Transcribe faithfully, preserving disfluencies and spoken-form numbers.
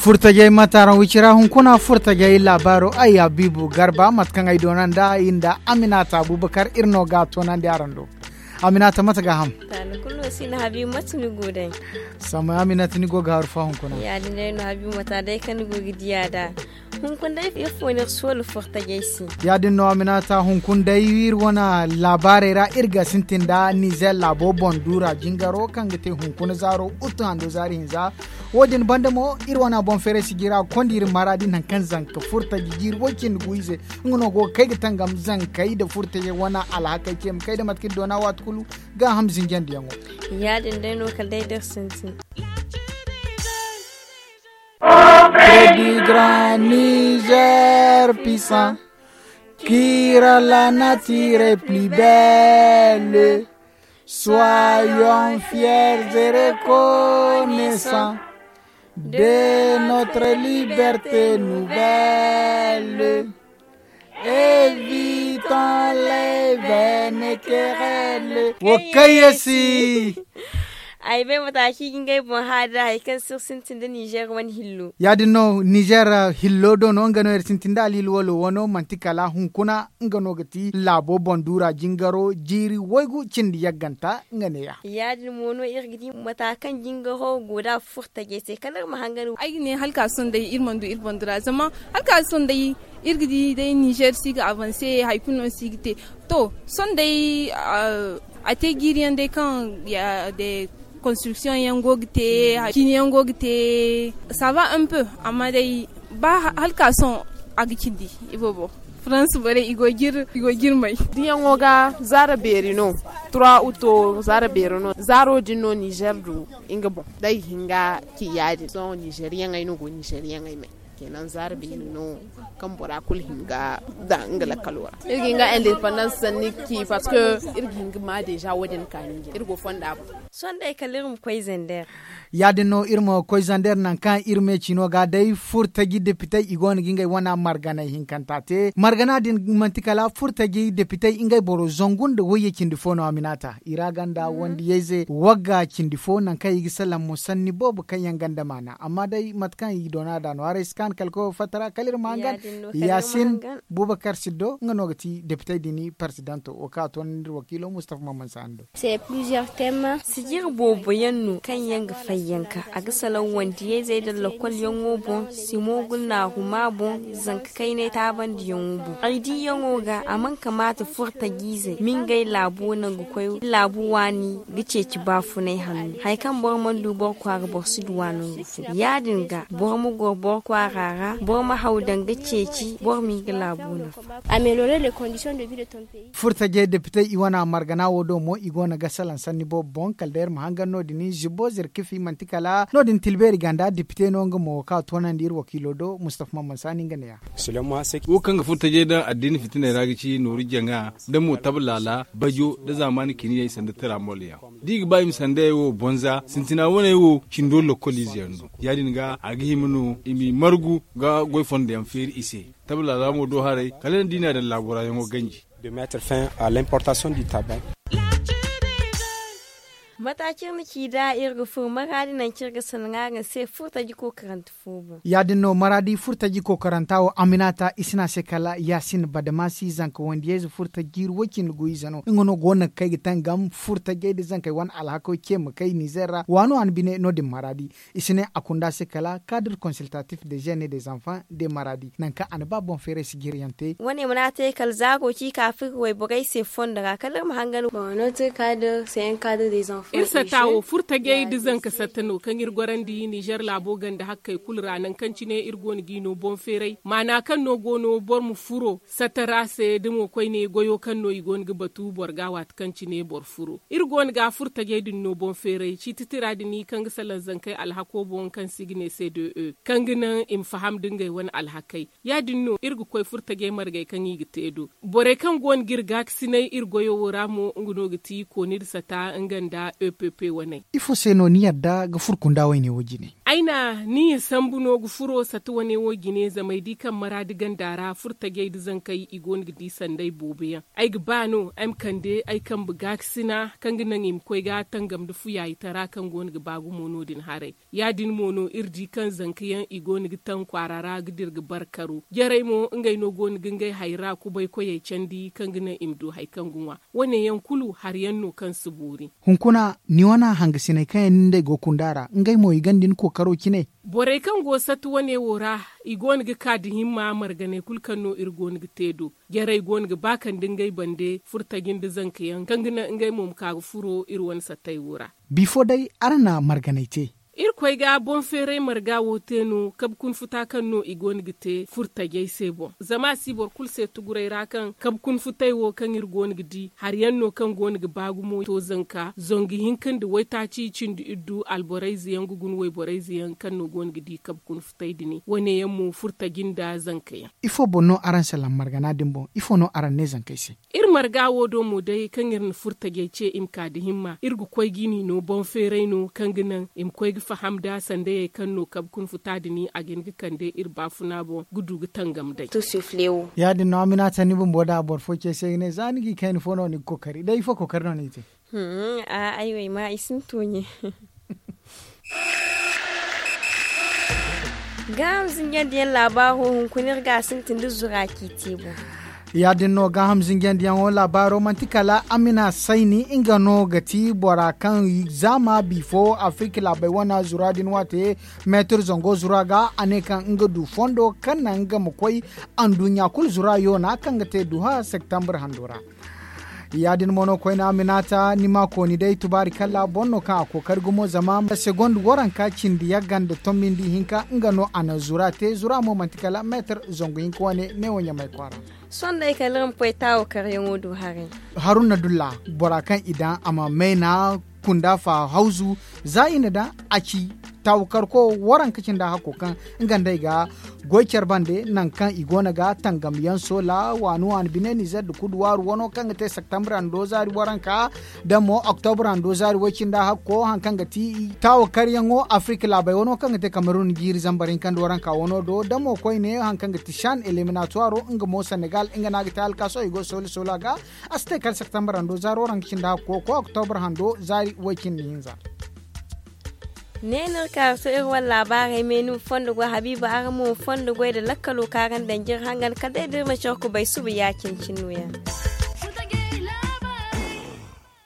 Furtajey ma taaraŋ wicira hunkuna furtajey laabaaro ay abiibu garba mate kaŋ ay doona nda ay nda aminata abubakar iri no ga a toonandi araŋ do. Aminata mate ga a ham? Taani kulu no si ni habiibu mate ni go day? Samay aminata ni go ga haru fa hunkuna? Ya- din day no habiibu mate day kaŋ ni go ga diya da hunkuna day ifo no iri si wala furtajey se? Ya- din no aminata hunkuna day iri wane laabaarey ra iri ga sintin nda nizer laabo boŋ duura jingaro kaŋ ga te hunkuna zaaro utu hando zaari hinza. Wo- din banda mo iri wane boŋ feeray si jira ga konda iri maraadi nangu kaŋ zanka furtaji jiiri way cindi gu ize nga no go ga kay ga tangam zankey nda furtajey wane alhakey ce ma kay nda mate kaŋ iri doona waati kulu gaaham zinjandiyaŋo. Ya- din day no kala day da iri sintin. Près du grand Niger puissant, qui rend la nature plus belle. Soyons fiers et reconnaissants de notre liberté nouvelle. Évitons les vaines querelles. Wo kaŋ ye si. Ay bay mata ci ga ngey boŋ haada hari kaŋ si iri sintin nda nizer wane hillo. Ya- din no nizer hillo do no nga no iri sintin nda alhilwalo wano manti kala hunkuna nga no ga ti laabo boŋ duura jingaro jiiri waygu cindi yagganta nga neeya. Ya- din mo no iri ga di mata kaŋ jingaro go nd'a furtajey se kala iri ma hangan. Ay ga ne hala ka sohõ day iri mana du iri boŋ duura zama hala ka sohõ day iri ga di day nizer si ga avanse hari kulu no si ga te. To sohõ day a te jiiri yaŋ day kaŋ de konstruction yaŋ go ga te, cini yaŋ go ga te. Sava un peu amma day ba hala ka sohõ a ga cindi iboobo. Farans borey i go ga iri may. Diyaŋo ga zaara beeri no. Trois uto zaara beeri no zaaro din no nizer du nga boŋ da i ga hin ga ci ya- din sohõ nizer yaŋey no go nizer yaŋey may. Kenan zaara beeri no kaŋ bora kulu hin ga da nga lakkalo ra. Iri ga hin ga independence sanni ci parce que iri ga hin ga ma deja wo- din kaani jine iri go fonda boŋ. Sohõ day kala iri ma koy zander. Ya- din no iri ma koy zander nangu kaŋ iri me cino ga day furtaji depitey i go no ga ngey wane marganay hinkanta te margana din manti kala furtaji depitey ngey boro zangu nda wayye cindi fo no aminata i ra ganda wandiyayze wagga cindi fo nangu kaŋ i ga salaŋ mo sanni boobo kaŋ yaŋ ganda maana amma day mate kaŋ i doona da no haray si kaanu kala koyo fatta ra kala iri ma hangan. Yaasin bubakar siddo nga no ga ti depitey din parsidanto wo kaŋ a toonandi iri wakiilo mustafa maman saani do. Sijir boobo yaŋ no kaŋ yaŋ ga fayyanka a ga salaŋ wandiyayzey nda lokol yaŋo boŋ simo gulnaahu ma boŋ zanka kaynay taabandiyaŋo boŋ ay diiyaŋo ga a mana kamaata furtajiizey ma ngey laabo nangu koy laabu waani ga ceeci baafunay hanno hari kaŋ boro mana du boro kwaara boro si du waanangu fo ya- din ga boro ma goro boro kwaara ra boro ma haw daŋ ga ceeci boro ma nga laabo nafa. Furtajey depitey i wane margana wo do mo i go no ga salaŋ sanni boobo boŋ kala day iri ma hangan no- din zibbo zirkifi manti kala no- din tilbeeri ganda depite no nga mo kaŋ a toonandi iri wakiilo do mustafa mamman saani nga ne- ya. Wo kaŋ ga furtajey daŋ addiina fitiney ra ga ci nooru jaŋa nda mo tablaala bajo nda zaamaani kiniyey sanda tiraamol yaŋ da i ga ba i ma sandayey wo bonza sintina waney wo cindo lokkol ize yaŋ no ya- din ga a ga hima no i m'i margu ga goy fondo yaŋ feeri i se. Tabla ra mo do haray kala ni di no a daŋ laabo ra yaŋo ganji. De mettre fin à l'importation du tabac. Mata cine ci da iri ga furo maraadi nangu cine ga sanaŋ araŋ se furtaji kookarante fo boŋ. Ya- din no maraadi furtaji kookaranta wo aminata i si ne a se kala yaasin badamasi zanka wandiyayze furtaji jiiri woy cindi gu ize no nga no go no ga kay ga tangam furtajey nda zankey wane alhako ce ma kay nizer ra waano a na bine no- din maraadi. I si ne a kunda se kala kadir konsiltatif de jene de zanfan de maradi nangu kaŋ a na ba boŋ feeray si jiri yaŋ te. Wane mana te kala zaaro ci ka firi wayborey se fondo ra kala iri ma hangan. Iri satta wo furtajey nda zanka satta no kaŋ iri gorandi nizer laabo ganda hakkey kulu ra nangu kaŋ cine iri go no g'i no boŋ feeray maana kaŋ no go no boro ma furo satta ra se da mo koyne goyo kaŋ no i go no ga batu boro ga waati kaŋ cine boro furo iri go no ga furtajey din no boŋ feeray ciiti tira din kaŋ ga salaŋ zankey alhako boŋ kaŋ se i ga ne se de e kaŋ ga naŋ i ma faham da ngey wane alhakey ya- din no iri ga koy furtajey margey kaŋ i ga te do. Borey kaŋ go no ga iri gaakasinay iri goyo wo ra mo nga no ga ti kooni nda sata nga nda Epp wane. Ifo se no ni yadda ga furo kunda wayne wo jine? Ay na ni ya sambu no ga furo sata wane wo jine zama ay di kaŋ maraadi ganda ra furo tajey nda zankey i go no ga di sanda ay boobo yaŋ. Ay ga ba no ay ma kande ay kambe gaakasina kaŋ ga naŋ i ma koy ga tangam nda fuyaayitara kaŋ go no ga ba gumo no- din haray. Ya- din mo no iri di kaŋ zanka yaŋ i go no ga taŋ kwaara ra ga dira ga bare karo jarey mo ngey no go no ga ngey hayra kubay koyey candi kaŋ ga naŋ i ma du hari kaŋ ga ŋwa. Wane yaŋ kulu hari yaŋ no kaŋ si boori. Hunkuna, ni wane hangasiney kaŋ yaŋ ni nd'ey go kunda ra ngey mo i gonda ni kookaro cine. Borey kaŋ go sata wane wo ra, i go no ga ka nda himma marganey kulu kaŋ no iri go no ga te do. Jarey go no ga ba kande ngey bande furo taji nda zanka yaŋ kaŋ ga naŋ ngey mo ma ka ga furo iri wane satey wo ra. Bifo day, araŋ na marganey te. Irkoy ga boŋ feeray marga wo te no kabe kunfuta kaŋ no i go no ga te furo tajey se boŋ zama a si boro kulu se tuguray ra kaŋ kabe kunfutay wo kaŋ iri go no ga di hari yaŋ no kaŋ go no ga ba gumo to zanka zangu hinka nda waytaaci cindi iddu alborayze yaŋ ga guna wayborayze yaŋ kaŋ no go no ga di kabe kunfutay din wane yaŋ mo furo taji nda zanka yaŋ. Ifo boŋ no araŋ salaŋ margana din boŋ? Ifo no araŋ ne zankey se? Iri marga wo do mo day kaŋ iri na furo tajey ce i ma ka nda himma iri ga koy ga i no boŋ feeray no kaŋ ga naŋ i ma koy ga faham nda sandayey kaŋ no kabe kunfuta din a ga hin ga kande iri baafuna boŋ ga du ga tangam day. Ya- din no amina tani bumbo da boro fo ce se ga ne za ni ga i kayna fo no ni ga kookari day ifo kookari no ni ga te? Ay wo ay ma i sinto ɲe. Gaaham zinjandi yaŋ laabaaro hunkuna iri ga a sintin da zura kaŋ i te boŋ. Ya- din no gaaham zinjandi yaŋo laabaaro manti kala amina sayni nga no ga ti bora kaŋ zaama bifo afirika laabey wane zura din waate meetir zango zura ga a ne kaŋ nga du fondo kaŋ naŋ nga ma koy anduɲɲa kulu zura yoona kaŋ ga te duha septembre hando ra. Ya- din mo no koyne aminata ni ma kooni day tubaari kalla boŋ no kaŋ a kookari gumo zama segonde waranka cindi yagga nda tombi nda ihinka nga no a na zura te zura mo manti kala meetir zangu hinka wane neewo ɲamay kwaara. Sohõ day kala iri ma koy taawo karyaŋo do haray. Haruna dulla bora kaŋ i daŋ a ma mayna kunda fa hawzu za i na daŋ a ci taawukarko waranka cinda hakko kaŋ nga nd'ey ga goy care bande nangu kaŋ i go no ga tangam yaŋ soola waani waani bine nizer nda kudu waaru wano kaŋ ga te septembre hando zaari waranka da mo octobre hando zaari way cinda hakko hari kaŋ ga ti taawakaryaŋo afirika laabey wano kaŋ ga te kamerun jiiri zambar hinka nda waranka wano do da mo koyne hari kaŋ ga ti shan eliminatuwaro nga mo senegal nga no a ga te alkaaso i go soola soola ga. A si te kala septembre hando zaari waranka cinda hakko koy octobre hando zaari way cindi hinza. Ne no iri ka ga to iri wane laabaarey me ni ma fondo goy habiiba araŋ mo ma fondo goy nda lakkalo kaŋ araŋ daŋ jiri hangan kala day da iri ma care kubay suba ya- cine cine no- ya.